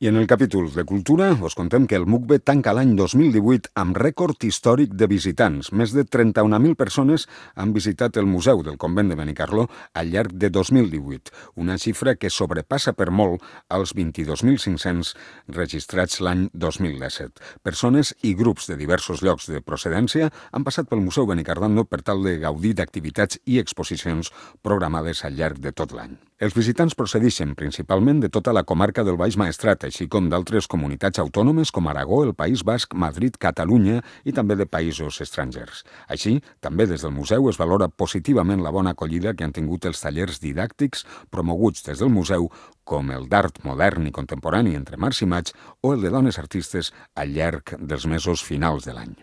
I en el capítol de Cultura us contem que el MUCBE tanca l'any 2018 amb rècord històric de visitants. Més de 31.000 persones han visitat el Museu del Convent de Benicarló al llarg de 2018, una xifra que sobrepassa per molt els 22.500 registrats l'any 2017. Persones i grups de diversos llocs de procedència han passat pel Museu Benicarló per tal de gaudir d'activitats i exposicions programades al llarg de tot l'any. Els visitants procedeixen principalment de tota la comarca del Baix Maestrat, així com d'altres comunitats autònomes com Aragó, el País Basc, Madrid, Catalunya i també de països estrangers. Així, també des del museu es valora positivament la bona acollida que han tingut els tallers didàctics promoguts des del museu, com el d'art modern i contemporani entre març i maig o el de dones artistes al llarg dels mesos finals de l'any.